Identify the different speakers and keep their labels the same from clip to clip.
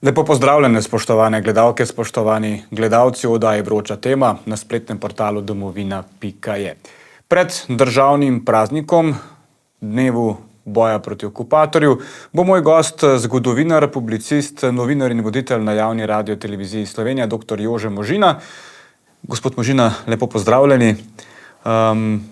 Speaker 1: Lepo pozdravljene, spoštovane gledalke, spoštovani gledalci oddaje Vroča tema na spletnem portalu domovina.je. Pred državnim praznikom, dnevu boja proti okupatorju, bo moj gost, zgodovinar, publicist, novinar in voditelj na javni radioteleviziji Slovenija, dr. Jože Možina. Gospod Možina, lepo pozdravljeni.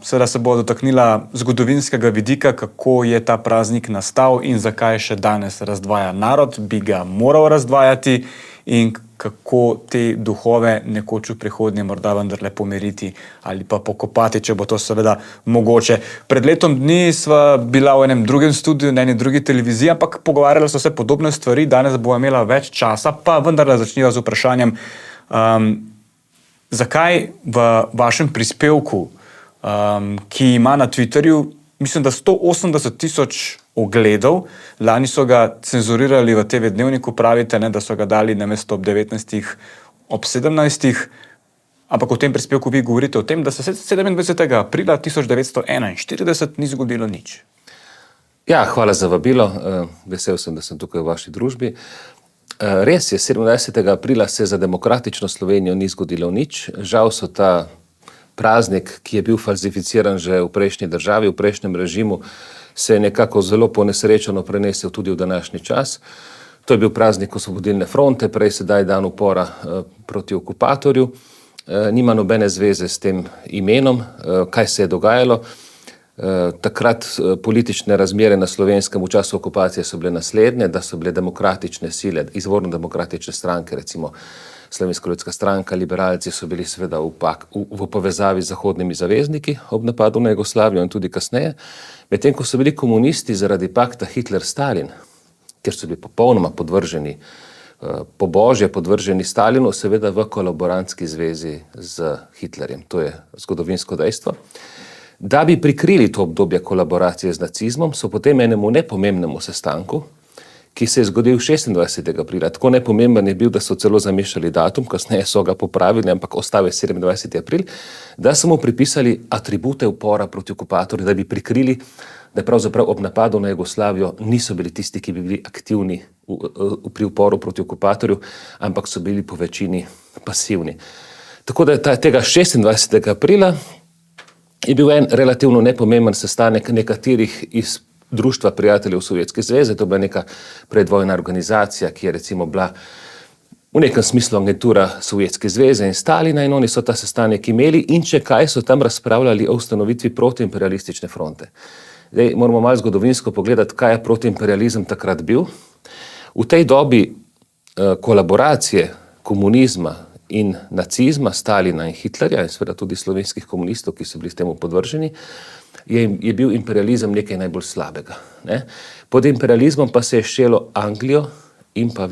Speaker 1: Seveda se bo dotaknila zgodovinskega vidika, kako je ta praznik nastal in zakaj še danes razdvaja narod, bi ga moral razdvajati in kako te duhove nekoč v prihodnje morda vendarle pomiriti ali pa pokopati, če bo to seveda mogoče. Pred letom dni sva bila v enem drugem studiu, na eni drugi televiziji, ampak pogovarjali so se podobne stvari, danes bo imela več časa, pa vendarle začniva z vprašanjem, zakaj v vašem prispevku, ki ima na Twitterju, mislim, da 180,000 ogledov, lani so ga cenzurirali v TV Dnevniku, pravite, ne, da so ga dali namesto ob 19. ob 17. Ampak v tem prispevku vi govorite o tem, da se 27. aprila 1941 ni zgodilo nič.
Speaker 2: Ja, hvala za vabilo. Vesel sem, da sem tukaj v vaši družbi. Res je, 27. aprila se za demokratično Slovenijo ni zgodilo nič. Žal so ta praznik, ki je bil falsificiran že v prejšnji državi, v prejšnjem režimu, se je nekako zelo ponesrečeno prenesel tudi v današnji čas. To je bil praznik Osvobodilne fronte, prej sedaj dan upora proti okupatorju. Nima nobene zveze s tem imenom, kaj se je dogajalo. Takrat politične razmere na Slovenskem v času okupacije so bile naslednje, da so bile demokratične sile, izvorno demokratične stranke, recimo Slovenska ljudska stranka, liberalci so bili seveda v povezavi z zahodnimi zavezniki ob napadu na Jugoslavijo in tudi kasneje, medtem ko so bili komunisti zaradi pakta Hitler-Stalin, ker so bili popolnoma podvrženi, pobožje podvrženi Stalinu, seveda v kolaborantski zvezi z Hitlerjem. To je zgodovinsko dejstvo. Da bi prikrili to obdobje kolaboracije z nacizmom, so potem enemu nepomembnemu sestanku, ki se je zgodil 26. aprila. Tako nepomemben je bil, da so celo zamešali datum, kasneje so ga popravili, ampak ostal je 27. april, da so mu pripisali atribute upora proti okupatorju, da bi prikrili, da pravzaprav ob napadu na Jugoslavijo niso bili tisti, ki bi bili aktivni pri uporu proti okupatorju, ampak so bili po večini pasivni. Tako da tega 26. aprila je bil en relativno nepomemben sestanek nekaterih iz Društva prijateljev Sovjetske zveze. To je bila neka predvojna organizacija, ki je recimo bila v nekem smislu agentura Sovjetske zveze in Stalina, in oni so ta sestanek imeli in če kaj so tam razpravljali o ustanovitvi protiimperialistične fronte. Zdaj moramo malo zgodovinsko pogledati, kaj je protiimperializem takrat bil. V tej dobi kolaboracije komunizma in nacizma, Stalina in Hitlerja in seveda tudi slovenskih komunistov, ki so bili s temu podvrženi, je bil imperializem nekaj najbolj slabega. Ne? Pod imperializmom pa se je štelo Anglijo in pa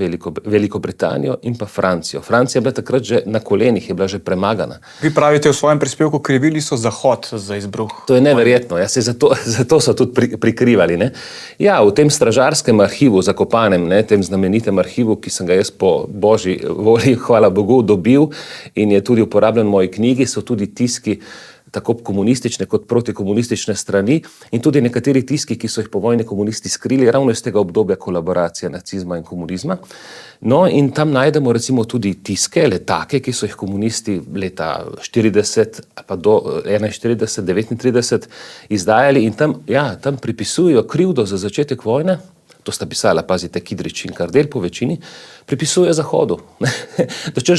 Speaker 2: Veliko Britanijo in pa Francijo. Francija je bila takrat že na kolenih, je bila že premagana.
Speaker 1: Vi pravite v svojem prispevku, krivili so Zahod za izbruh.
Speaker 2: To je neverjetno, ja, zato so tudi prikrivali. Ne? Ja, v tem stražarskem arhivu zakopanem, ne, tem znamenitem arhivu, ki sem ga jaz po božji volji, hvala Bogu, dobil in je tudi uporabljen v moji knjigi, so tudi tiski tako komunistične kot protikomunistične strani in tudi nekateri tiski, ki so jih po vojni komunisti skrili ravno iz tega obdobja kolaboracije nacizma in komunizma. No, in tam najdemo recimo tudi tiske, letake, ki so jih komunisti leta 40 pa do 41, 39 izdajali in tam pripisujejo krivdo za začetek vojne. To sta pisala, pazite, Kidrič in Kardelj po večini, pripisuje Zahodu.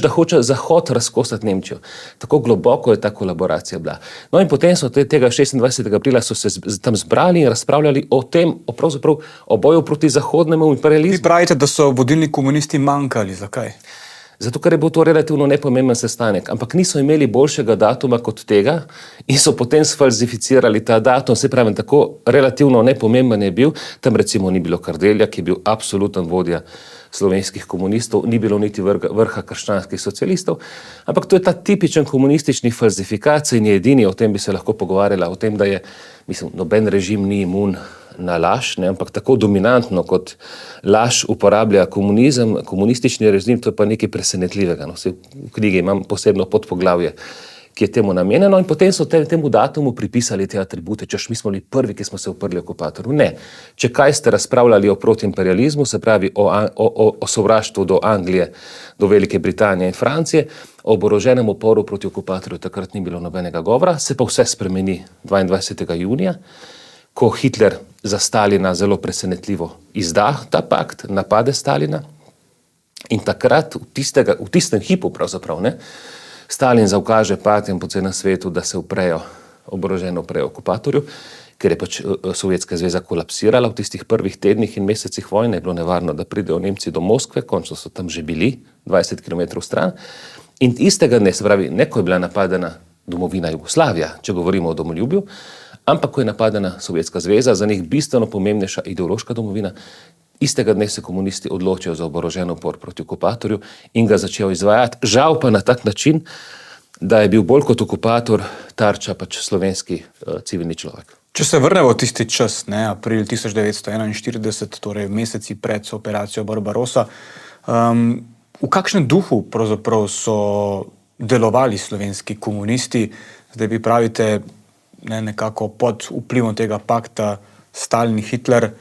Speaker 2: Da hoče Zahod razkosati Nemčijo. Tako globoko je ta kolaboracija bila. No in potem so tega 26. aprila so se tam zbrali in razpravljali o tem, pravzaprav o boju proti zahodnemu imperializmu.
Speaker 1: Vi pravite, da so vodilni komunisti manjkali. Zakaj?
Speaker 2: Zato, ker je bil to relativno nepomemben sestanek, ampak niso imeli boljšega datuma kot tega in so potem sfalsificirali ta datum, se pravi, tako relativno nepomemben je bil, tam recimo ni bilo Kardelja, ki je bil absoluten vodja slovenskih komunistov, ni bilo niti vrha krščanskih socialistov, ampak to je ta tipičen komunistični falsifikacij in je edini, o tem bi se lahko pogovarjala, o tem, da je, mislim, noben režim ni imun na laž, ne, ampak tako dominantno kot laž uporablja komunizem, komunistični režim, to je pa nekaj presenetljivega. No, v knjigi imam posebno podpoglavje, ki je temu namenjeno, in potem so temu datumu pripisali te atribute, češ mi smo bili prvi, ki smo se uprli okupatorju. Ne. Če kaj ste razpravljali o protiimperializmu, se pravi o sovraštvu do Anglije, do Velike Britanije in Francije, o oboroženem uporu proti okupatorju takrat ni bilo nobenega govora, se pa vse spremeni 22. junija, ko Hitler za Stalina zelo presenetljivo izda ta pakt, napade Stalina, in takrat v tistem hipu pravzaprav, ne, Stalin zaukaže partijam po celem svetu, da se oboroženo uprejo okupatorju, ker je pač Sovjetska zveza kolapsirala v tistih prvih tednih in mesecih vojne, je bilo nevarno, da pridejo Nemci do Moskve, končno so tam že bili, 20 km stran. In istega dne, se pravi, ne ko je bila napadena domovina Jugoslavija, če govorimo o domoljubju, ampak ko je napadena Sovjetska zveza, za njih bistveno pomembnejša ideološka domovina, istega dne se komunisti odločijo za oborožen upor proti okupatorju in ga začel izvajati. Žal pa na tak način, da je bil bolj kot okupator tarča pač slovenski civilni človek.
Speaker 1: Če se vrnemo v tisti čas, ne, april 1941, torej meseci pred operacijo Barbarossa, v kakšnem duhu pravzaprav so delovali slovenski komunisti? Zdaj vi pravite, ne, nekako pod vplivom tega pakta Stalin-Hitler,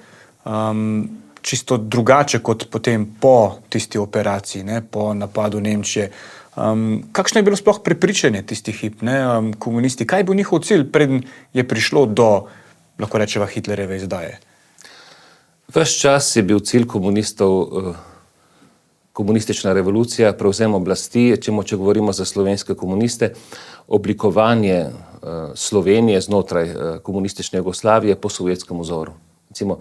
Speaker 1: čisto drugače kot potem po tisti operaciji, ne, po napadu Nemčije. Kakšno je bilo sploh prepričanje tistih hip, ne, komunisti? Kaj je bil njihov cilj, preden je prišlo do, lahko rečeva, Hitlerjeve izdaje?
Speaker 2: Ves čas je bil cilj komunistov komunistična revolucija, prevzem oblasti, če govorimo za slovenske komuniste, oblikovanje Slovenije znotraj komunistične Jugoslavije po sovjetskem vzoru. Recimo,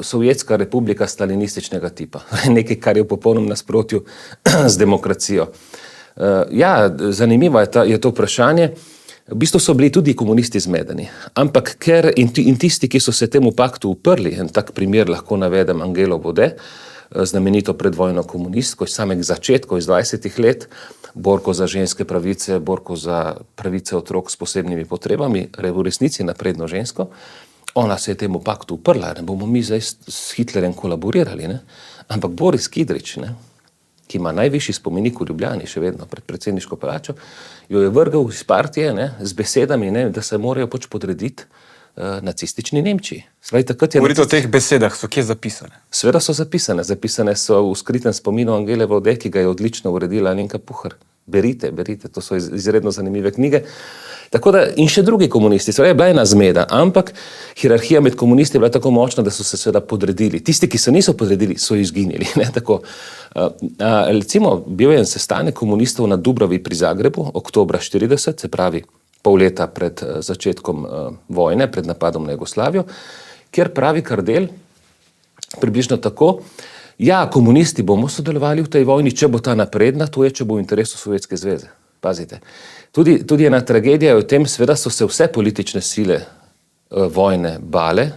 Speaker 2: Sovjetska republika stalinističnega tipa, nekaj, kar je v popolnem nasprotju z demokracijo. Ja, zanimivo je to vprašanje. V bistvu so bili tudi komunisti zmedeni, ampak ker in tisti, ki so se temu paktu uprli, en tak primer lahko navedem Angelo Bode, znamenito predvojno komunistko iz samega začetka, iz 20 let, borko za ženske pravice, borko za pravice otrok s posebnimi potrebami, v resnici napredno žensko. Ona se je temu paktu uprla, ne bomo mi zdaj s Hitlerjem kolaborirali, ne? Ampak Boris Kidrič, ne, ki ima najvišji spomenik v Ljubljani, še vedno pred predsedniško palačo, jo je vrgel iz partije, ne, z besedami, ne, da se morajo pač podrediti nacistični Nemčiji.
Speaker 1: Govorite o teh besedah, so kje zapisane?
Speaker 2: Seveda so zapisane. Zapisane so v skritem spominu Angele Bode, ki ga je odlično uredila Alenka Puhar. Berite, to so izredno zanimive knjige. Tako da, in še drugi komunisti, seveda je bila ena zmeda, ampak hierarhija med komunisti je bila tako močna, da so se seveda podredili. Tisti, ki se niso podredili, so izginili. Ne, tako. Recimo, bil je en sestanek komunistov na Dubravi pri Zagrebu, oktobra 40, se pravi pol leta pred začetkom vojne, pred napadom na Jugoslavijo, kjer pravi Kardelj približno tako, ja, komunisti bomo sodelovali v tej vojni, če bo ta napredna, to je, če bo v interesu Sovjetske zveze. Pazite. Tudi ena tragedija je v tem, seveda so se vse politične sile vojne bale,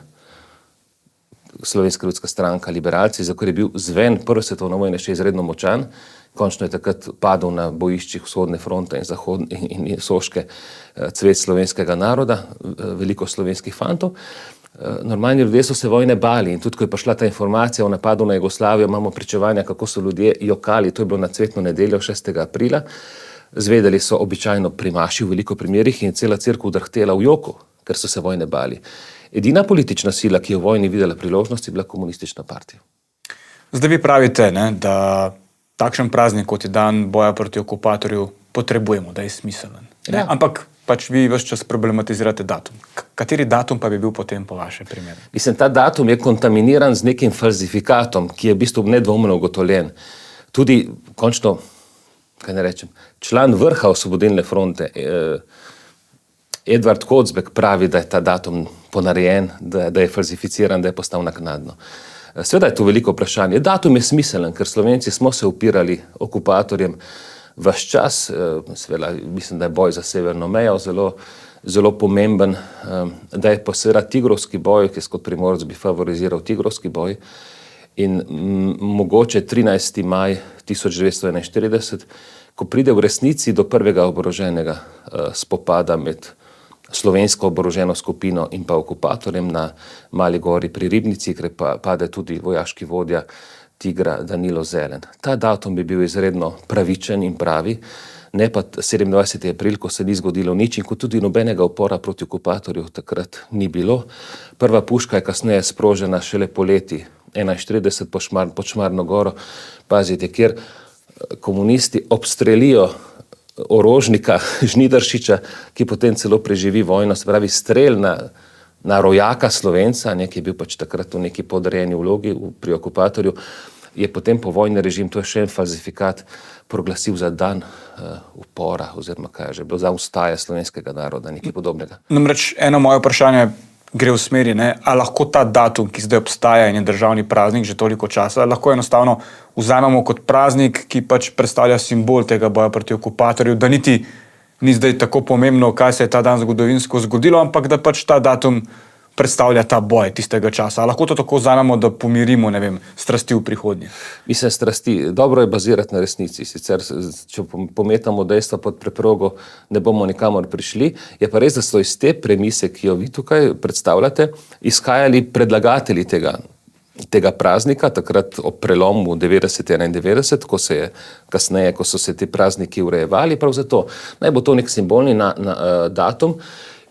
Speaker 2: Slovenska ljudska stranka, liberalci, za kar je bil zven prve svetovne vojne še izredno močan, končno je takrat padel na bojiščih vzhodne fronte in soške cvet slovenskega naroda, veliko slovenskih fantov. Normalni ljudje so se vojne bali in tudi, ko je prišla ta informacija o napadu na Jugoslavijo, imamo pričevanja, kako so ljudje jokali, to je bilo na cvetno nedeljo 6. aprila, zvedeli so običajno pri maši v veliko primerih in cela cerkev drhtela v joku, ker so se vojne bali. Edina politična sila, ki je v vojni videla priložnost, je bila komunistična partija.
Speaker 1: Zdaj vi pravite, ne, da takšen praznik, kot je dan boja proti okupatorju, potrebujemo, da je smiselen. Ja. Ampak pač vi ves čas problematizirate datum. Kateri datum pa bi bil potem po vašem primeru?
Speaker 2: Mislim, ta datum je kontaminiran z nekim falzifikatom, ki je v bistvu nedvomno ugotovljen. Tudi, končno, kaj ne rečem, član vrha Osvobodilne fronte, Edvard Kocbek pravi, da je ta datum ponarejen, da je falsificiran, da je postal naknadno. Seveda je to veliko vprašanje. Datum je smiselen, ker Slovenci smo se upirali okupatorjem ves čas. Seveda, mislim, da je boj za severno mejo zelo pomemben, da je pa seveda tigrovski boj, ki kot Primorec bi favoriziral tigrovski boj. In mogoče 13. maj 1941, ko pride v resnici do prvega oboroženega spopada med slovensko oboroženo skupino in pa okupatorjem na Mali gori pri Ribnici, kjer pade tudi vojaški vodja Tigra Danilo Zelen. Ta datum bi bil izredno pravičen in pravi, ne pa 27. april, ko se ni zgodilo nič in ko tudi nobenega upora proti okupatorju takrat ni bilo. Prva puška je kasneje sprožena šele poleti 41 pod Šmarno goro, pazite, kjer komunisti obstrelijo orožnika Žnidaršiča, ki potem celo preživi vojno, se pravi strel na rojaka Slovenca, ki je bil pač takrat v neki podrejeni vlogi pri okupatorju, je potem povojni režim, to je še en falsifikat, proglasil za dan upora, oziroma kaj je že bilo, za ustaje slovenskega naroda, nekaj podobnega.
Speaker 1: Namreč eno moje vprašanje gre v smeri, a lahko ta datum, ki zdaj obstaja in je državni praznik že toliko časa, lahko enostavno vzamemo kot praznik, ki pač predstavlja simbol tega boja proti okupatorju, da niti ni zdaj tako pomembno, kaj se je ta dan zgodovinsko zgodilo, ampak da pač ta datum predstavlja ta boj tistega časa. Lahko to tako vzamemo, da pomirimo, strasti v prihodnje.
Speaker 2: Mislim, strasti, dobro je bazirati na resnici, sicer, če pometamo dejstva pod preprogo, ne bomo nikamor prišli. Je pa res, da so iz te premise, ki jo vi tukaj predstavljate, izhajali predlagatelji tega praznika, takrat ob prelomu 90-91, ko se je kasneje, ko so se ti prazniki urejevali, prav zato naj bo to nek simbolni datum,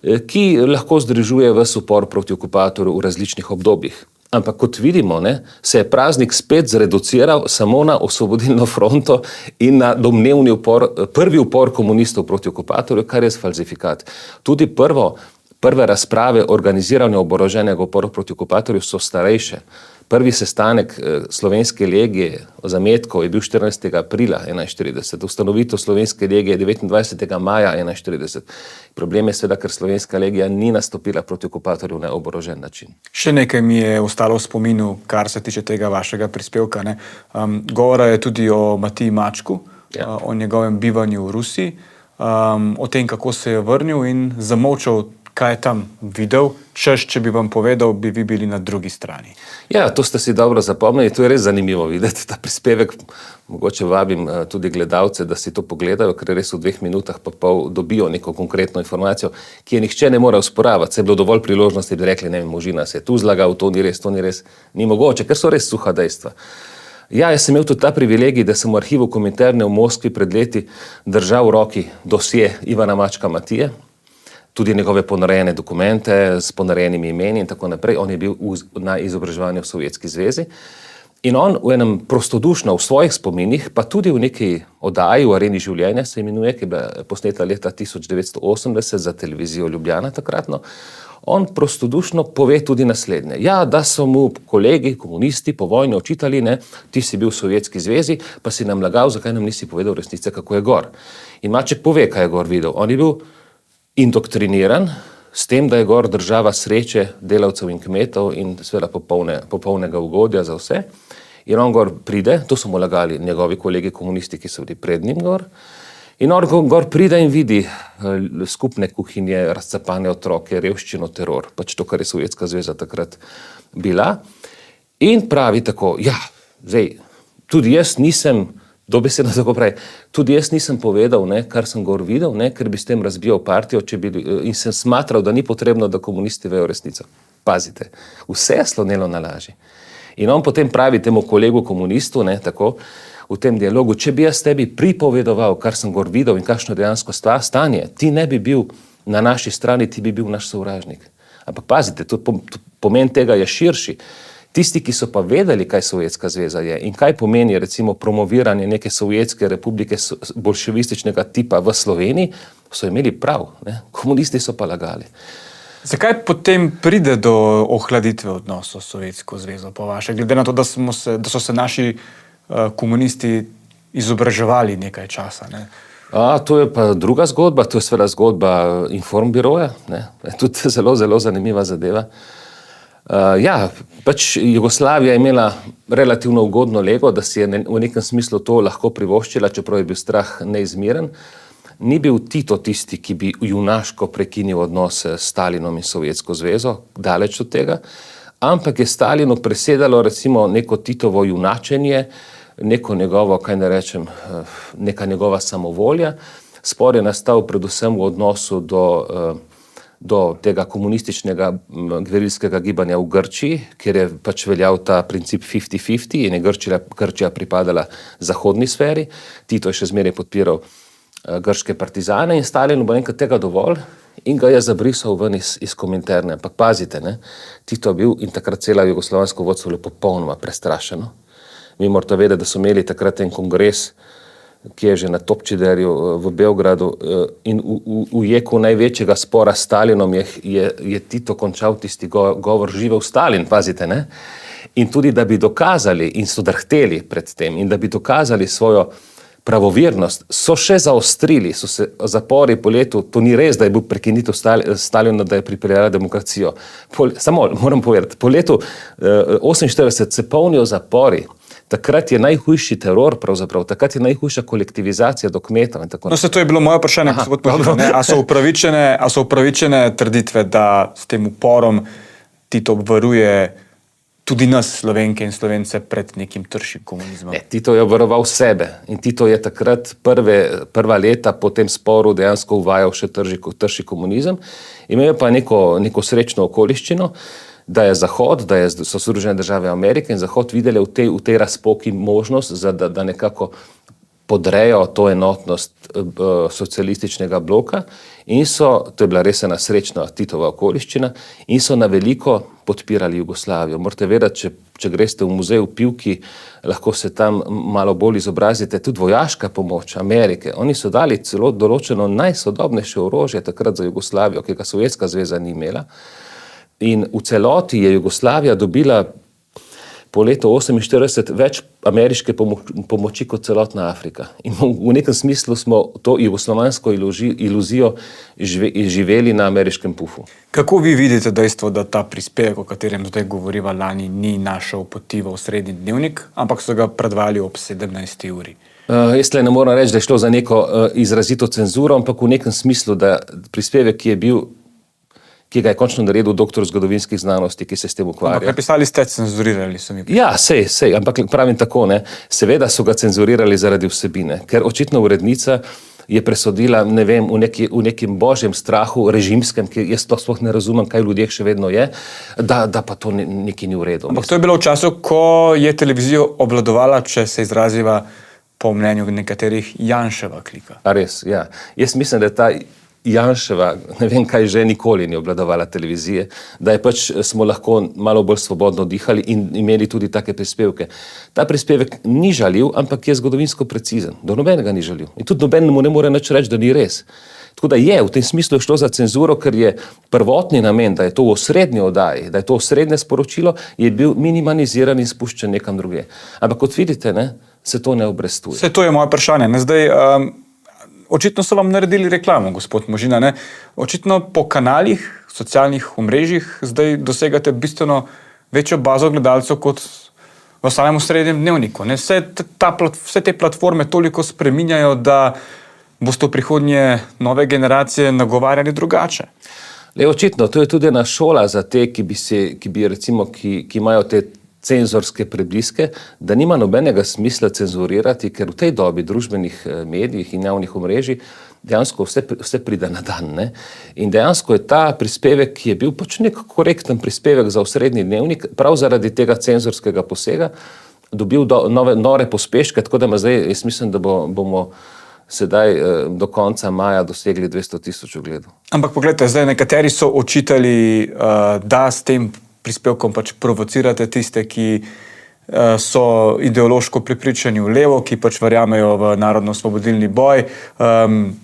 Speaker 2: ki lahko združuje ves upor proti okupatorju v različnih obdobjih. Ampak kot vidimo, se je praznik spet zreduciral samo na Osvobodilno fronto in na domnevni upor, prvi upor komunistov proti okupatorju, kar je falsifikat. Tudi prve razprave o organiziranju oboroženega upora proti okupatorju so starejše. Prvi sestanek Slovenske legije o zametku je bil 14. aprila 1941, ustanovitev Slovenske legije 29. maja 1941. Problem je seveda, ker Slovenska legija ni nastopila proti okupatorju na oborožen način.
Speaker 1: Še nekaj mi je ostalo v spominu, kar se tiče tega vašega prispevka. Govora je tudi o Matiji Mačku, o njegovem bivanju v Rusiji, o tem, kako se je vrnil in zamolčal, kaj je tam videl, češ, če bi vam povedal, bi vi bili na drugi strani.
Speaker 2: Ja, to ste si dobro zapomnili, to je res zanimivo videti, ta prispevek. Mogoče vabim tudi gledalce, da si to pogledajo, ker res v 2 minutah pa pol dobijo neko konkretno informacijo, ki je nihče ne more osporavati. Se je bilo dovolj priložnosti, da rekli, Možina se je tu zlagal, to ni res, ni mogoče, ker so res suha dejstva. Ja, jaz sem imel tudi ta privilegij, da sem v arhivu Kominterne v Moskvi pred leti držal v roki dosje Ivana Mačka Matije, tudi njegove ponarejene dokumente s ponarejenimi imeni in tako naprej. On je bil na izobraževanju v Sovjetski zvezi in on v enem prostodušno, v svojih spominih, pa tudi v neki oddaji v Areni življenja, se imenuje, ki je bila posneta leta 1980 za televizijo Ljubljana takratno, on prostodušno pove tudi naslednje. Ja, da so mu kolegi, komunisti po vojni očitali, ti si bil v Sovjetski zvezi, pa si nam lagal, zakaj nam nisi povedal resnice, kako je gor. In Maček pove, kaj je gor videl. On je bil indoktriniran s tem, da je gor država sreče delavcev in kmetov in seveda popolnega ugodja za vse. In on gor pride, to so mu lagali njegovi kolegi komunisti, ki so bili pred njim gor, in on gor pride in vidi skupne kuhinje, razcapane otroke, revščino, teror, pač to, kar je Sovjetska zveza takrat bila. In pravi tako, tudi jaz nisem, dobesedno tako pravi, tudi jaz nisem povedal, kar sem gor videl, ker bi s tem razbijal partijo, in sem smatral, da ni potrebno, da komunisti vejo resnico. Pazite, vse je slonelo na laži. In on potem pravi temu kolegu komunistu, tako, v tem dialogu, če bi jaz tebi pripovedoval, kar sem gor videl in kakšno dejansko stanje, ti ne bi bil na naši strani, ti bi bil naš sovražnik. Ampak pazite, pomen tega je širši. Tisti, ki so pa vedeli, kaj Sovjetska zveza je in kaj pomeni recimo promoviranje neke Sovjetske republike bolševističnega tipa v Sloveniji, so imeli prav. Komunisti so pa lagali.
Speaker 1: Zakaj potem pride do ohladitve odnosov s Sovjetsko zvezo, po vaše? Glede na to, da so se naši komunisti izobraževali nekaj časa.
Speaker 2: To je pa druga zgodba, to je seveda zgodba Informbiroja, tudi zelo, zelo zanimiva zadeva. Pač Jugoslavija je imela relativno ugodno lego, da si je v nekem smislu to lahko privoščila, čeprav je bil strah neizmeren. Ni bil Tito tisti, ki bi junaško prekinil odnose s Stalinom in Sovjetsko zvezo, daleč od tega, ampak je Stalinu presedalo recimo neko Titovo junačenje, neko njegovo, neka njegova samovolja. Spor je nastal predvsem v odnosu do tega komunističnega gverilskega gibanja v Grčiji, kjer je pač veljal ta princip 50-50 in je Grčija pripadala zahodni sferi. Tito je še zmeraj podpiral grške partizane in Stalinu bo enkrat tega dovolj in ga je zabrisal ven iz Kominterne. Ampak pazite, ne, Tito je bil in takrat cela jugoslovansko vodstvo bilo popolnoma prestrašeno. Mi morate vedeti, da so imeli takrat en kongres, ki je že na Topčiderju v Beogradu in v jeku največjega spora s Stalinom je Tito končal tisti govor živel Stalin, pazite, ne? In tudi, da bi dokazali in so drhteli pred tem in da bi dokazali svojo pravovirnost, so še zaostrili, so se zapori po letu, to ni res, da je bil prekinitev Stalina, da je pripeljala demokracijo. Samo moram povedati, po letu 48 se polnijo zapori. Takrat je najhujši teror, pravzaprav, takrat je najhujša kolektivizacija do kmetov in tako naprej.
Speaker 1: No, to je bilo moje vprašanje, gospod Možina. A so upravičene trditve, da s tem uporom Tito obvaruje tudi nas, Slovenke in Slovence, pred nekim tršim komunizmom?
Speaker 2: Ne, Tito je obvaroval sebe in Tito je takrat prva leta po tem sporu dejansko uvajal še trši komunizem. Imel pa neko srečno okoliščino, da je Zahod, so Združene države Amerike in Zahod videli v tej razpoki možnost, da nekako podrejo to enotnost socialističnega bloka in to je bila res ena srečna Titova okoliščina, in so na veliko podpirali Jugoslavijo. Morate vedeti, če greste v muzej v Pivki, lahko se tam malo bolj izobrazite, tudi vojaška pomoč Amerike. Oni so dali celo določeno najsodobnejše orožje takrat za Jugoslavijo, ki ga Sovjetska zveza ni imela. In v celoti je Jugoslavija dobila po letu 1948 več ameriške pomoči kot celotna Afrika. In v nekem smislu smo to jugoslovansko iluzijo živeli na ameriškem pufu.
Speaker 1: Kako vi vidite dejstvo, da ta prispevek, o katerem zdaj govoriva lani, ni našel poti v Osrednji dnevnik, ampak so ga predvali ob 17. uri?
Speaker 2: Jaz ne moram reči, da je šlo za neko izrazito cenzuro, ampak v nekem smislu, da prispevek, ki ga je končno naredil doktor zgodovinskih znanosti, ki se s tem ukvarja.
Speaker 1: Ampak napisali ste cenzurirali, so mi prišli.
Speaker 2: Ja, sej, ampak pravim tako, ne. Seveda so ga cenzurirali zaradi vsebine, ker očitno urednica je presodila, ne vem, v nekem božjem strahu, režimskem, ki jaz to sploh ne razumem, kaj v ljudeh še vedno je, da pa to nekaj ni v redu.
Speaker 1: Ampak to je bilo v času, ko je televizijo obvladovala, če se izraziva po mnenju nekaterih, Janševa klika.
Speaker 2: A res, ja. Jaz mislim, da je ta Janševa, ne vem kaj že, nikoli ni obvladovala televizije, da je pač smo lahko malo bolj svobodno dihali in imeli tudi take prispevke. Ta prispevek ni žaljiv, ampak je zgodovinsko precizen. Do nobenega ni žaljiv. In tudi nobenemu ne more nič reči, da ni res. Tako da v tem smislu je šlo za cenzuro, ker je prvotni namen, da je to v osrednji oddaji, da je to osrednje sporočilo, je bil minimaliziran in spuščen nekam druge. Ampak kot vidite, ne, se to ne obrestuje.
Speaker 1: Vse to je moje vprašanje. Ne? Zdaj, očitno so vam naredili reklamo, gospod Možina. Ne? Očitno po kanalih, socialnih omrežjih zdaj dosegate bistveno večjo bazo gledalcev kot v samem Osrednjem dnevniku. Ne? Vse te platforme toliko spreminjajo, da boste v prihodnje nove generacije nagovarjali drugače.
Speaker 2: Očitno, to je tudi ena šola za te, ki imajo te cenzorske prebliske, da nima nobenega smisla cenzurirati, ker v tej dobi družbenih medijih in javnih omrežij dejansko vse pride na dan. Ne? In dejansko je ta prispevek, ki je bil pač nek korekten prispevek za Osrednji dnevnik, prav zaradi tega cenzorskega posega, dobil nore pospeške, tako da jaz mislim, da bomo sedaj do konca maja dosegli 200,000 ogledov.
Speaker 1: Ampak pogledajte, zdaj nekateri so očitali, da s tem prispevkom pač provocirate tiste, ki so ideološko prepričani v levo, ki pač verjamejo v narodno-osvobodilni boj.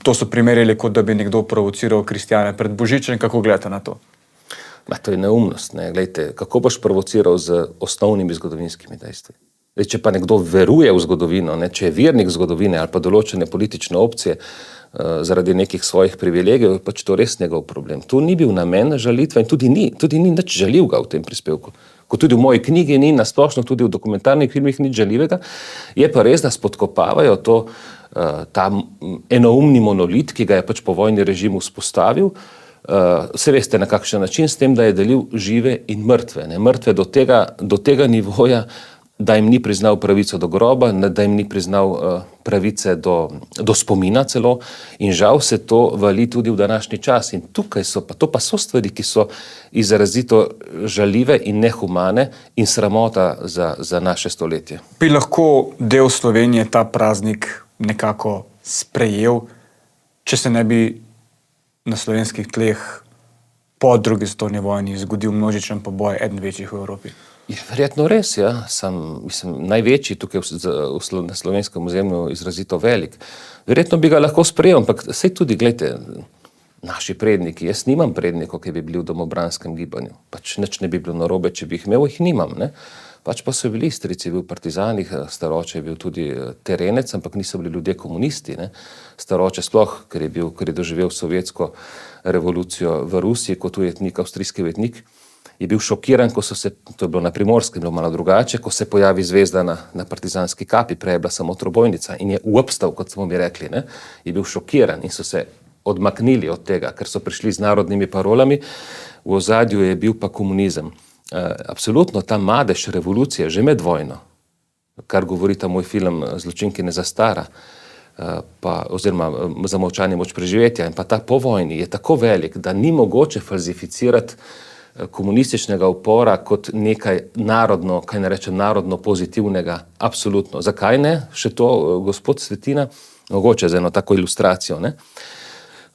Speaker 1: To so primerjali, kot da bi nekdo provociral kristjane pred Božičem. Kako gledate na to?
Speaker 2: To je neumnost. Ne? Glejte, kako boš provociral z osnovnimi zgodovinskimi dejstvi? Če pa nekdo veruje v zgodovino, ne? Če je vernik zgodovine ali pa določene politične opcije, zaradi nekih svojih privilegijev, pač to res njegov problem. Tu ni bil namen žalitve in tudi ni nič žaljivega v tem prispevku. Kot tudi v moji knjigi ni, nasplošno tudi v dokumentarnih filmih nič žaljivega, je pa res, da spodkopavajo ta enoumni monolit, ki ga je pač po vojni režim vzpostavil. Se veste na kakšen način, s tem, da je delil žive in mrtve. Ne? Mrtve do tega nivoja, da jim ni priznal pravico do groba, da jim ni priznal pravice do spomina celo, in žal se to vali tudi v današnji čas. In tukaj to pa so stvari, ki so izrazito žaljive in nehumane in sramota za naše stoletje.
Speaker 1: Bi lahko del Slovenije ta praznik nekako sprejel če se ne bi na slovenskih tleh po drugi svetovni vojni zgodil množičen poboj, eden večjih v Evropi?
Speaker 2: Je verjetno res, ja. Največji tukaj na slovenskem ozemlju izrazito velik. Verjetno bi ga lahko sprejel, ampak saj tudi, gledajte, naši predniki, jaz nimam prednikov, ki bi bili v domobranskem gibanju. Pač nič ne bi bilo narobe, če bi jih imel, jih nimam, ne. Pač pa so bili strici, bil v partizanih, staroče je bil tudi terenec, ampak niso bili ljudje komunisti, ne. Staroče sploh, ker je doživel sovjetsko revolucijo v Rusiji kot ujetnik, avstrijski ujetnik, je bil šokiran, ko so se, to je bilo na Primorskem, bilo malo drugače, ko se pojavi zvezda na partizanski kapi, prej je bila samo trobojnica in je uobstal, kot smo mi rekli, ne, je bil šokiran in so se odmaknili od tega, ker so prišli z narodnimi parolami, v ozadju je bil pa komunizem. Absolutno ta madež revolucije, že med vojno, kar govori ta moj film Zločinki ne zastara, oziroma Zamolčanje moč preživetja, in pa ta po vojni je tako velik, da ni mogoče falsificirati komunističnega upora kot nekaj narodno, kaj ne rečem, narodno pozitivnega, absolutno. Zakaj ne? Še to, gospod Svetina, mogoče za eno tako ilustracijo, ne?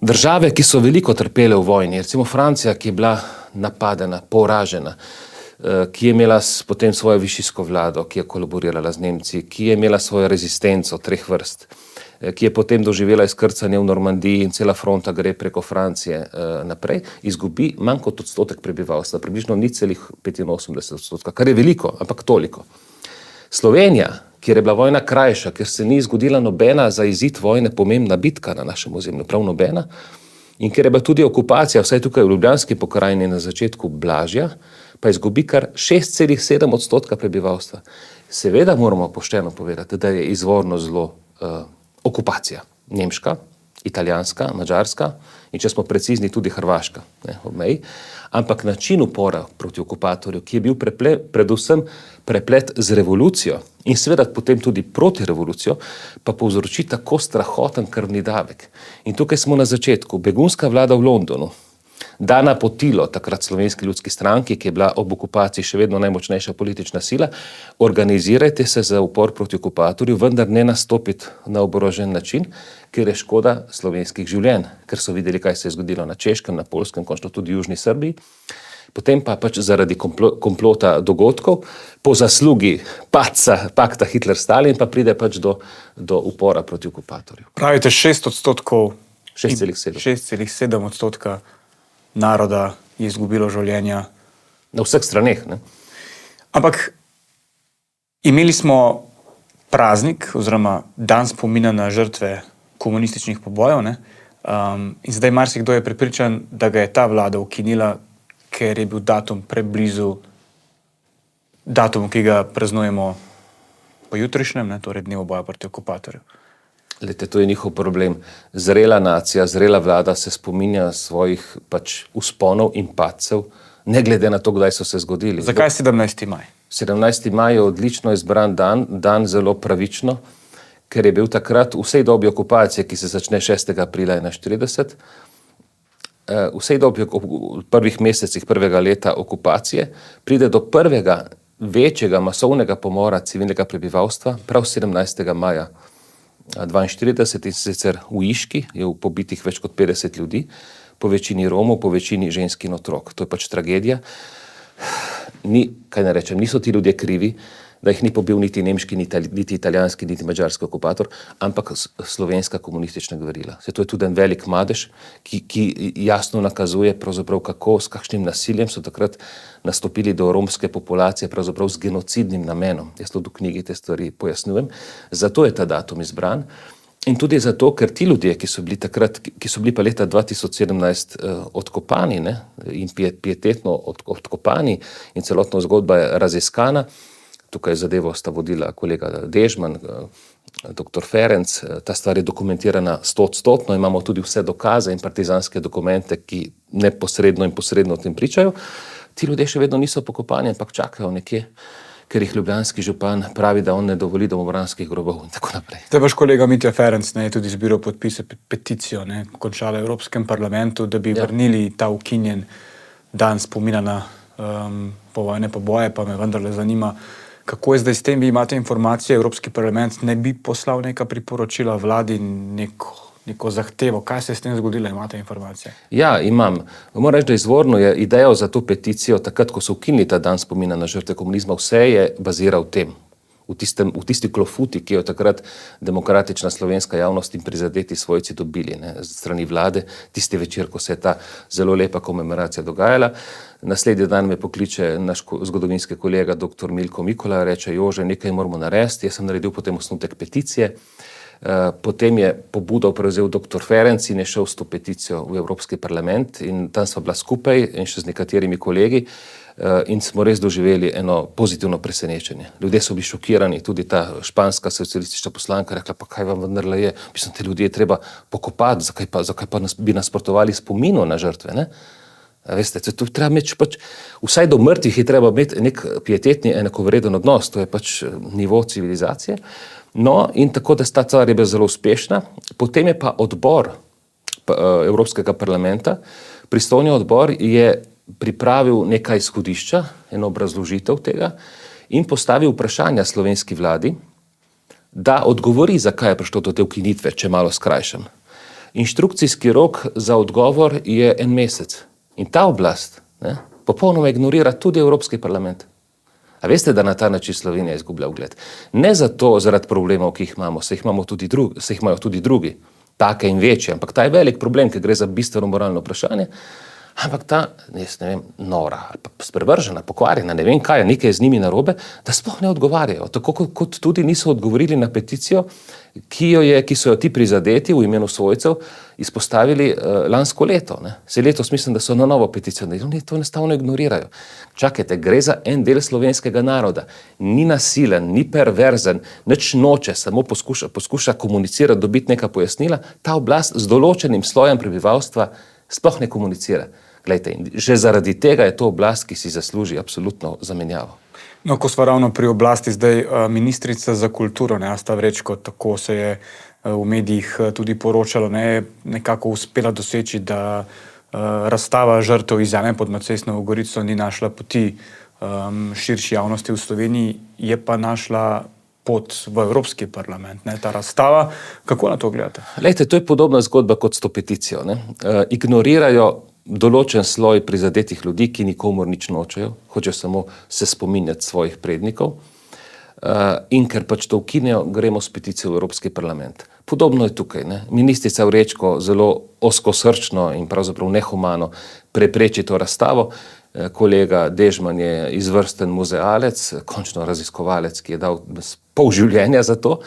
Speaker 2: Države, ki so veliko trpele v vojni, recimo Francija, ki je bila napadena, poražena, ki je imela potem svojo višijsko vlado, ki je kolaborirala z Nemci, ki je imela svojo rezistenco 3 vrst, ki je potem doživela izkrcanje v Normandiji in cela fronta gre preko Francije naprej, izgubi manj kot odstotek prebivalstva, približno 0,85%, kar je veliko, ampak toliko. Slovenija, kjer je bila vojna krajša, ker se ni zgodila nobena za izid vojne pomembna bitka na našem ozemlju, prav nobena, in ker je bila tudi okupacija, vsaj tukaj v Ljubljanski pokrajini na začetku blažja, pa izgubi kar 6,7% prebivalstva. Seveda moramo pošteno povedati, da je izvorno zelo okupacija. Nemška, italijanska, madžarska in če smo precizni tudi hrvaška, ne, ob meji. Ampak način upora proti okupatorju, ki je bil predvsem preplet z revolucijo in seveda potem tudi proti revolucijo, pa povzroči tako strahoten krvni davek. In tukaj smo na začetku. Begunska vlada v Londonu da napotilo takrat Slovenski ljudski stranki, ki je bila ob okupaciji še vedno najmočnejša politična sila, organizirajte se za upor proti okupatorju, vendar ne nastopiti na oborožen način, ker je škoda slovenskih življenj, ker so videli, kaj se je zgodilo na Češkem, na Poljskem, končno tudi v Južni Srbiji. Potem pa pač zaradi komplota dogodkov, po zaslugi pakta Hitler-Stalin, pa pride pač do upora proti okupatorju.
Speaker 1: Pravite 6%,
Speaker 2: 6,7%
Speaker 1: naroda je izgubilo življenja.
Speaker 2: Na vseh straneh, ne?
Speaker 1: Ampak imeli smo praznik oziroma dan spomina na žrtve komunističnih pobojev, ne? In zdaj marsikdo je prepričan, da ga je ta vlada ukinila, ker je bil datum preblizu datumu, ki ga praznujemo po jutrišnjem, ne? Torej dnevu boja proti okupatorju.
Speaker 2: Lete, to je njihov problem. Zrela nacija, zrela vlada se spominja svojih pač usponov in padcev, ne glede na to, kdaj so se zgodili.
Speaker 1: Zakaj 17. maj?
Speaker 2: 17. maj je odlično izbran dan zelo pravično, ker je bil takrat v vsej dobi okupacije, ki se začne 6. aprila 1941, v vsej dobi v prvih mesecih prvega leta okupacije pride do prvega večjega masovnega pomora civilnega prebivalstva prav 17. maja 1942, in sicer v Iški je pobitih več kot 50 ljudi, po večini Romov, po večini žensk in otrok. To je pač tragedija. Niso ti ljudje krivi, da jih ni pobil niti nemški, niti italijanski, niti madžarski okupator, ampak slovenska komunistična gverila. To je tudi en velik madež, ki jasno nakazuje pravzaprav kako, s kakšnim nasiljem so takrat nastopili do romske populacije, pravzaprav z genocidnim namenom. Jaz to v knjigi te stvari pojasnjujem. Zato je ta datum izbran. In tudi zato, ker ti ljudje, ki so bili pa leta 2017 odkopani, ne, in pietetno odkopani in celotna zgodba je raziskana, tukaj zadevo sta vodila kolega Dežman, dr. Ferenc, ta stvar je dokumentirana 100%, imamo tudi vse dokaze in partizanske dokumente, ki neposredno in posredno o tem pričajo. Ti ljudje še vedno niso pokopani, ampak čakajo nekje, ker jih ljubljanski župan pravi, da on ne dovoli domobranskih grobov in tako naprej.
Speaker 1: Te vaš kolega Mitja Ferenc je tudi zbiral podpise peticijo, končala v Evropskem parlamentu, da bi vrnili ta ukinjen dan spomina na povojne poboje, pa me vendarle zanima, kako je zdaj s tem, vi imate informacije, Evropski parlament ne bi poslal neka priporočila vladi, neko zahtevo. Kaj se je s tem zgodilo, imate informacije?
Speaker 2: Ja, imam. Moram reči, da izvorno je idejo za to peticijo, takrat, ko so ukinili ta dan spomina na žrtve komunizma, vse je baziral v tem. V tisti klofuti, ki jo takrat demokratična slovenska javnost in prizadeti svojci dobili, ne, z strani vlade, tisti večer, ko se je ta zelo lepa komemoracija dogajala. Naslednji dan me pokliče naš zgodovinski kolega dr. Milko Mikola, reče: Jože, nekaj moramo narediti. Jaz sem naredil potem osnutek peticije. Potem je pobudo prevzel dr. Ferenc in je šel s to peticijo v Evropski parlament in tam sva bila skupaj in še z nekaterimi kolegi. In smo res doživeli eno pozitivno presenečenje. Ljudje so bili šokirani, tudi ta španska socialistična poslanka rekla: pa kaj vam vendarle je, mislim, te ljudje je treba pokopati, zakaj pa bi nasprotovali spominu na žrtve, ne? Veste, to treba imeti pač, vsaj do mrtvih je treba imeti nek pietetni, enakovreden odnos, to je pač nivo civilizacije. No, in tako, da ta stvar je bila zelo uspešna. Potem je pa odbor Evropskega parlamenta, pristojni odbor je pripravil nekaj izhodišča, eno obrazložitev tega in postavil vprašanja slovenski vladi, da odgovori, zakaj je prišlo do te ukinitve, če malo skrajšam. Inštrukcijski rok za odgovor je 1 mesec. In ta oblast, ne, popolnoma ignorira tudi Evropski parlament. A veste, da na ta način Slovenija izgublja ugled? Ne zato, zaradi problemov, ki jih imamo, se jih imajo tudi drugi, take in večje, ampak ta je velik problem, ker gre za bistveno moralno vprašanje. Ampak ta, jaz ne vem, nora, ali pa sprevržena, pokvarjena, ne vem kaj, nekaj je z njimi narobe, da sploh ne odgovarjajo. Tako kot tudi niso odgovorili na peticijo, ki so jo ti prizadeti v imenu svojcev izpostavili lansko leto. Ne. Se letos mislim, da so na novo peticijo, da oni to enostavno ignorirajo. Čakajte, gre za en del slovenskega naroda. Ni nasilen, ni perverzen, nič noče, samo poskuša komunicirati, dobiti neka pojasnila. Ta oblast z določenim slojem prebivalstva sploh ne komunicira. Glejte, že zaradi tega je to oblast, ki si zasluži absolutno zamenjavo.
Speaker 1: No, ko sva ravno pri oblasti, zdaj ministrica za kulturo, ne, Asta Vrečko, tako se je v medijih tudi poročalo, ne, nekako uspela doseči, da razstava žrtev iz jame pod Macesnovo Gorico ni našla poti širši javnosti v Sloveniji, je pa našla pot v Evropski parlament, ne, ta razstava. Kako na to gledate?
Speaker 2: Glejte, to je podobna zgodba kot s to peticijo. Ne. Ignorirajo določen sloj prizadetih ljudi, ki nikomur nič nočejo, hočejo samo se spominjati svojih prednikov. In ker pač to ukinejo, gremo s peticijo v Evropski parlament. Podobno je tukaj. Ne. Ministrica Vrečko zelo ozkosrčno in pravzaprav nehumano prepreči to razstavo. Kolega Dežman je izvrsten muzealec, končno raziskovalec, ki je dal pol življenja za to.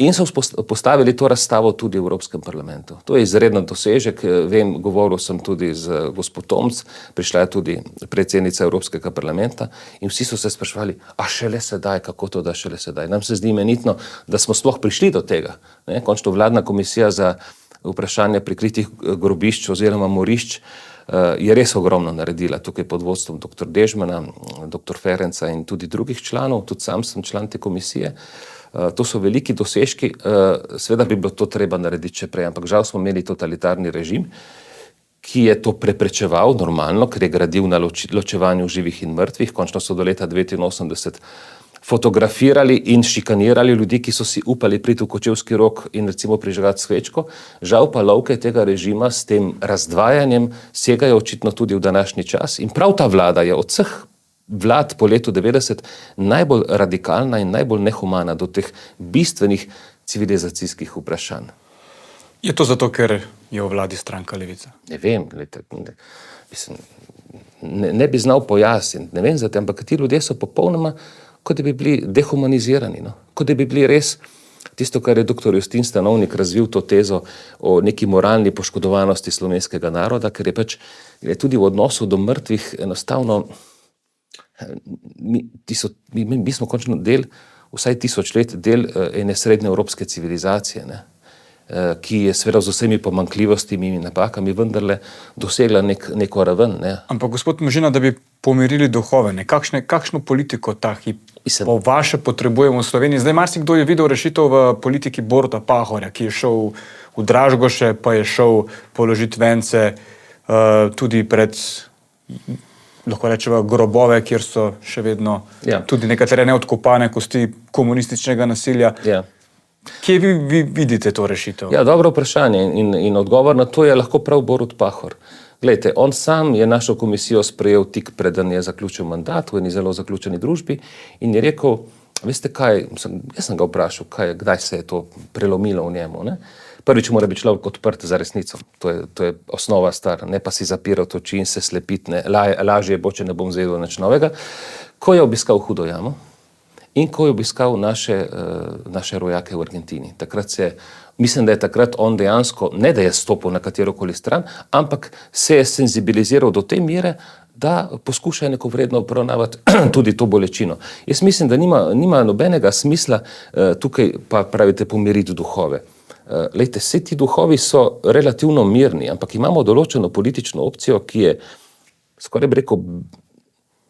Speaker 2: In so postavili to razstavo tudi v Evropskem parlamentu. To je izreden dosežek. Vem, govoril sem tudi z gospod Tomc, prišla je tudi predsednica Evropskega parlamenta in vsi so se spraševali, a šele sedaj, kako to da šele sedaj. Nam se zdi imenitno, da smo sploh prišli do tega. Ne? Končno vladna komisija za vprašanje prikritih grobišč oziroma morišč je res ogromno naredila tukaj pod vodstvom dr. Dežmana, dr. Ferenca in tudi drugih članov, tudi sam sem član te komisije. To so veliki dosežki, seveda bi bilo to treba narediti še prej, ampak žal smo imeli totalitarni režim, ki je to preprečeval normalno, ker je gradil na ločevanju živih in mrtvih. Končno so do leta 1989 fotografirali in šikanirali ljudi, ki so si upali priti v Kočevski Rog in recimo prižgati svečko. Žal pa lovke tega režima s tem razdvajanjem segajo očitno tudi v današnji čas in prav ta vlada je od vseh vlad po letu 90 najbolj radikalna in najbolj nehumana do teh bistvenih civilizacijskih vprašanj.
Speaker 1: Je to zato, ker je v vladi stranka Levica?
Speaker 2: Ne vem, ne bi znal pojasniti, ne vem za te, ampak ti ljudje so popolnoma, kot da bi bili dehumanizirani, no? Kot da bi bili res tisto, kar je dr. Justin Stanovnik razvil to tezo o neki moralni poškodovanosti slovenskega naroda, ker je pač tudi v odnosu do mrtvih enostavno mi smo končno del, vsaj 1000 let, del ene srednjeevropske civilizacije, ne? Ki je seveda z vsemi pomanjkljivostmi in napakami vendarle dosegla neko raven. Ne?
Speaker 1: Ampak gospod Možina, da bi pomirili duhove, kakšno politiko ta hip po vaše potrebujemo v Sloveniji? Zdaj marsikdo je videl rešitev v politiki Boruta Pahorja, ki je šel v Dražgoše, pa je šel položiti vence tudi pred, lahko rečemo, grobove, kjer so še vedno tudi nekatere neodkopane kosti komunističnega nasilja.
Speaker 2: Ja.
Speaker 1: Kje vi vidite to rešitev?
Speaker 2: Ja, dobro vprašanje in odgovor na to je lahko prav Borut Pahor. Glejte, on sam je našo komisijo sprejel tik preden je zaključil mandat v eni zelo zaključeni družbi in je rekel, veste kaj, jaz sem ga vprašal, kdaj se je to prelomilo v njemu. Ne? Prvič mora biti človek odprt za resnico, to je osnova stvar, ne pa si zapirati oči in se slepiti, lažje bo, če ne bom zvedel nič novega. Ko je obiskal Hudo jamo in ko je obiskal naše rojake v Argentini, mislim, da je takrat on dejansko, ne da je stopil na katerokoli stran, ampak se je senzibiliziral do te mere, da poskuša neko vredno obravnavati tudi to bolečino. Jaz mislim, da nima nobenega smisla tukaj, pa pravite, pomiriti duhove. Lejte, vsi ti duhovi so relativno mirni, ampak imamo določeno politično opcijo, ki je, skoraj bi rekel,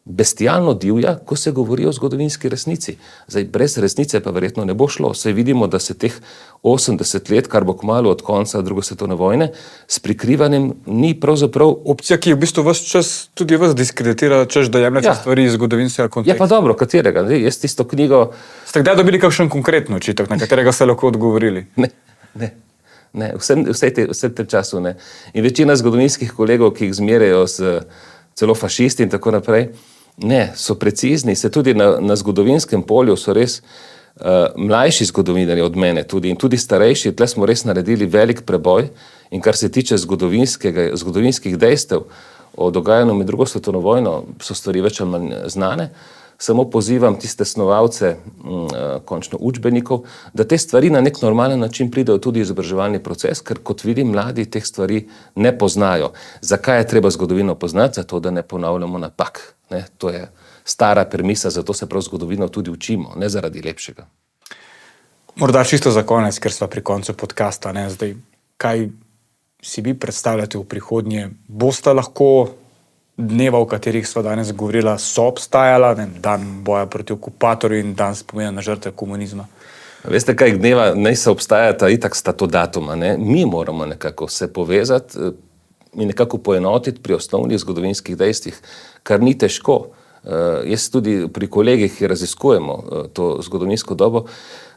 Speaker 2: bestialno divja, ko se govori o zgodovinski resnici. Zdaj, brez resnice pa verjetno ne bo šlo. Saj vidimo, da se teh 80 let, kar bo kmalu od konca druge svetovne vojne, s prikrivanjem ni pravzaprav...
Speaker 1: Opcija, ki je v bistvu ves čas tudi vas diskreditira, češ da jemljate stvari iz zgodovinskega konteksta.
Speaker 2: Ja, pa dobro, katerega? Jaz tisto knjigo...
Speaker 1: Ste kdaj dobili kakšen konkretno očitek, na katerega ste lahko odgovorili?
Speaker 2: Ne, vse tem času ne. In večina zgodovinskih kolegov, ki jih zmerjajo celo fašisti in tako naprej, ne, so precizni, se tudi na zgodovinskem polju so res mlajši zgodovinarji od mene tudi in tudi starejši, tle smo res naredili velik preboj in kar se tiče zgodovinskih dejstev o dogajanju med drugo svetovno vojno, so stvari več ali manj znane. Samo pozivam tiste snovalce končno učbenikov, da te stvari na nek normalen način pridejo tudi izobraževalni proces, ker kot vidim, mladi teh stvari ne poznajo. Zakaj je treba zgodovino poznati? Zato, da ne ponavljamo napak. Ne? To je stara premisa, zato se prav zgodovino tudi učimo, ne zaradi lepšega.
Speaker 1: Morda čisto za konec, ker sva pri koncu podcasta. Zdaj, kaj si vi predstavljate v prihodnje? Boste lahko dneva, o katerih sva danes govorila, so obstajala, dan boja proti okupatorju in dan spomina na žrtve komunizma?
Speaker 2: Veste kaj, dneva ne se obstajata, itak sta to datuma. Ne? Mi moramo nekako se povezati in nekako poenotiti pri osnovnih zgodovinskih dejstvih, kar ni težko. Jaz tudi pri kolegih, ki raziskujemo to zgodovinsko dobo,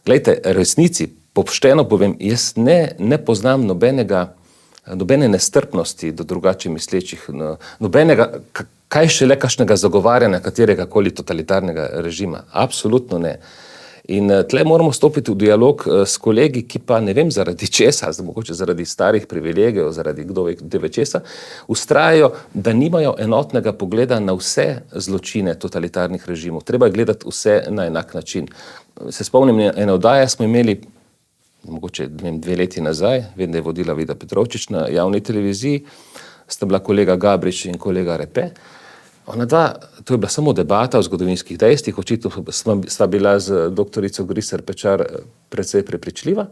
Speaker 2: glejte, resnici, pošteno povem, jaz ne poznam nobene nestrpnosti do drugače mislečih, nobenega, kaj šele kakšnega zagovarjanja katerega koli totalitarnega režima. Absolutno ne. In tle moramo stopiti v dialog s kolegi, ki pa ne vem zaradi česa, mogoče zaradi starih privilegijev, zaradi kdo ve česa, vztrajajo, da nimajo enotnega pogleda na vse zločine totalitarnih režimov. Treba je gledati vse na enak način. Se spomnim, ene oddaje smo imeli mogoče 2 leti nazaj, vem, da je vodila Vida Petrovčič na javni televiziji, sta bila kolega Gabrič in kolega Repe. Ona dva, to je bila samo debata o zgodovinskih dejstvih, očitno sva bila z doktorico Griser Pečar precej prepričljiva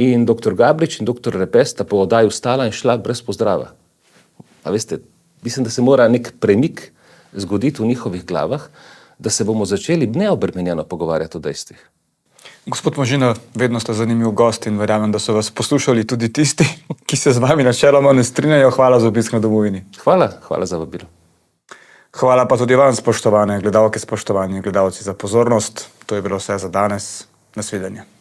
Speaker 2: in doktor Gabrič in doktor Repe sta po oddaji vstala in šla brez pozdrava. A veste, mislim, da se mora nek premik zgoditi v njihovih glavah, da se bomo začeli neobremenjeno pogovarjati o dejstvih.
Speaker 1: Gospod Možina, vedno ste zanimiv gost in verjamem, da so vas poslušali tudi tisti, ki se z vami načeloma ne strinjajo. Hvala za obisk na Domovini.
Speaker 2: Hvala za vabilo.
Speaker 1: Hvala pa tudi vam, spoštovane gledalke, spoštovani gledalci, za pozornost. To je bilo vse za danes. Nasvidenje.